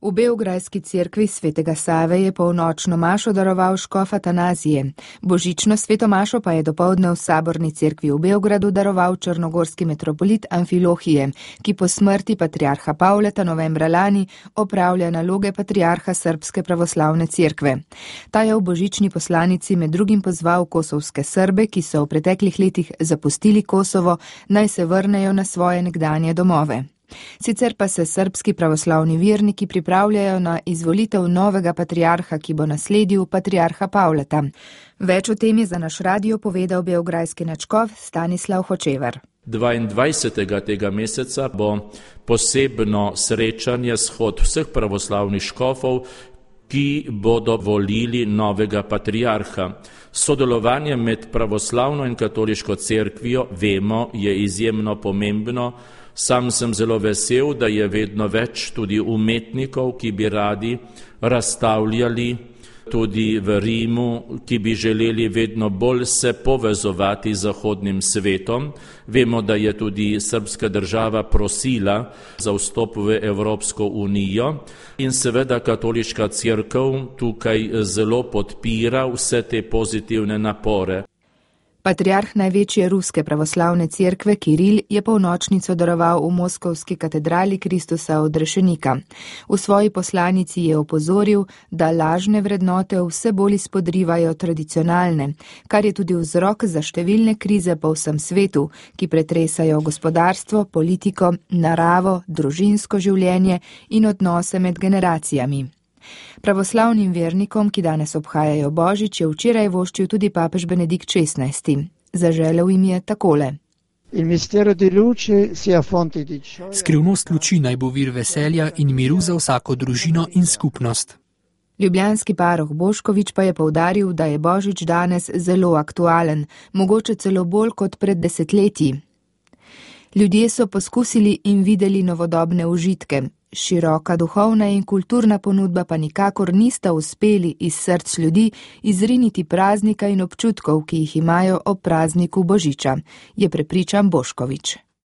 V beograjski cerkvi svetega Save je polnočno mašo daroval škof Atanazije. Božično sveto mašo pa je dopoldne v Saborni cerkvi v Beogradu daroval črnogorski metropolit Amfilohije, ki po smrti patriarha Pavleta novembra lani opravlja naloge patriarha Srbske pravoslavne cerkve. Ta je v božični poslanici med drugim pozval kosovske Srbe, ki so v preteklih letih zapustili Kosovo, naj se vrnejo na svoje nekdanje domove. Sicer pa se srbski pravoslavni verniki pripravljajo na izvolitev novega patriarha, ki bo nasledil patriarha Pavleta. Več o tem je za naš radio povedal beograjski nadškof Stanislav Hočevar. 22. tega meseca bo posebno srečanje, shod vseh pravoslavnih škofov, ki bodo volili novega patriarha. Sodelovanje med pravoslavno in katoliško cerkvijo, vemo, je izjemno pomembno. Sam sem zelo vesel, da je vedno več tudi umetnikov, ki bi radi razstavljali tudi v Rimu, ki bi želeli vedno bolj se povezovati z zahodnim svetom. Vemo, da je tudi srbska država prosila za vstop v Evropsko unijo in seveda katoliška cerkev tukaj zelo podpira vse te pozitivne napore. Patriarh največje ruske pravoslavne cerkve Kiril je polnočnico daroval v moskovski katedrali Kristusa odrešenika. V svoji poslanici je opozoril, da lažne vrednote vse bolj izpodrivajo tradicionalne, kar je tudi vzrok za številne krize po vsem svetu, ki pretresajo gospodarstvo, politiko, naravo, družinsko življenje in odnose med generacijami. Pravoslavnim vernikom, ki danes obhajajo Božič, je včeraj voščil tudi papež Benedikt XVI. Zaželel jim je takole. Skrivnost luči naj bo vir veselja in miru za vsako družino in skupnost. Ljubljanski paroh Boškovič pa je poudaril, da je Božič danes zelo aktualen, mogoče celo bolj kot pred desetletji. Ljudje so poskusili in videli novodobne užitke. Široka duhovna in kulturna ponudba pa nikakor nista uspeli iz src ljudi izriniti praznika in občutkov, ki jih imajo ob prazniku Božiča, je prepričan Boškovič.